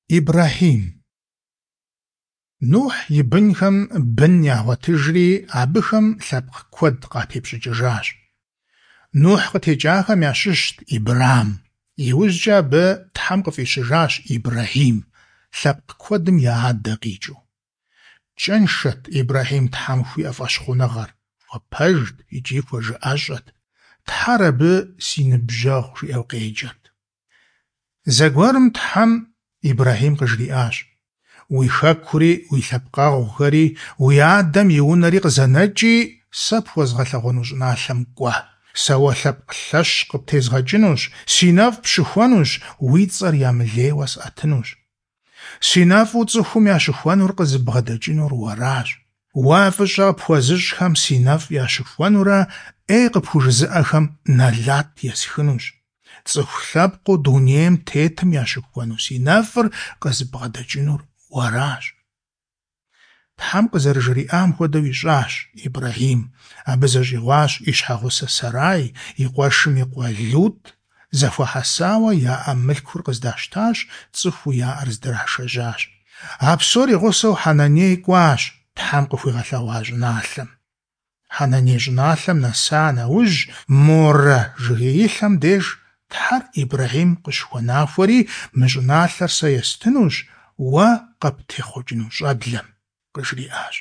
Ибрэхьим. Нухь и бынхэм бын ягъуэтыжри, абыхэм лъэпкъ куэд къатепщӏыкӏыжащ. Нухь къытекӏахэм ящыщт Ибрам. Иужькӏэ абы Тхьэм къыфӏищыжащ Ибрэхьим, лъэпкъ куэдым я адэ къикӏыу. Кӏэншэт Ибрэхьим Тхьэм хуиӏэ фӏэщхъуныгъэр, хуэпэжт икӏи хуэжыӏэщӏэт. Тхьэр абы си ныбжьэгъу жиӏэу къеджэрт. Зэгуэрым Тхьэм Ибрэхьим къыжриӏащ: Уи хэкури, уи лъэпкъэгъухэри, уи адэм и унэри къызэнэкӏи, сэ пхуэзгъэлъэгъуэну щӏыналъэм кӏуэ. Сэ уэ лъэпкъ лъэщ къыптезгъэкӏынущ, си нэфӏ пщыхуэнущ, уи цӏэр ямылейуэ сӏэтынущ. Си нэфӏу цӏыхум ящыхуэнур къызыбгъэдэкӏынур уэращ. Уэ фӏыщӏэ къыпхуэзыщӏхэм си нэфӏ ящыхуэнурэ, ӏей къыпхужызыӏэхэм нэлат есхынущ. Цӏыху лъэпкъыу дунейм тетым ящыхуэну си нэфӏыр къызыбгъэдэкӏынур уэращ. Тхьэм къызэрыжриӏам хуэдэу ищӏащ Ибрэхьим. Абы зэщӏигъуащ и щхьэгъусэ Сарай, и къуэшым и къуэ Лутӏ, зэхуахьэсауэ яӏэ мылъкур къыздащтащ, цӏыхуу яӏэр здрашэжьащ. А псор и гъусэу Хьэнаней кӏуащ Тхьэм къыхуигъэлъэгъуа щӏыналъэм. Хьэнаней щӏыналъэм нэса нэужь, Морэ жыгеилъэм деж Тхьэр Ибрэхьим къыщыхуэнахуэри, мы щӏыналъэр сэ естынущ уэ къыптехъукӏыну щӏэблэм, къыжриӏащ.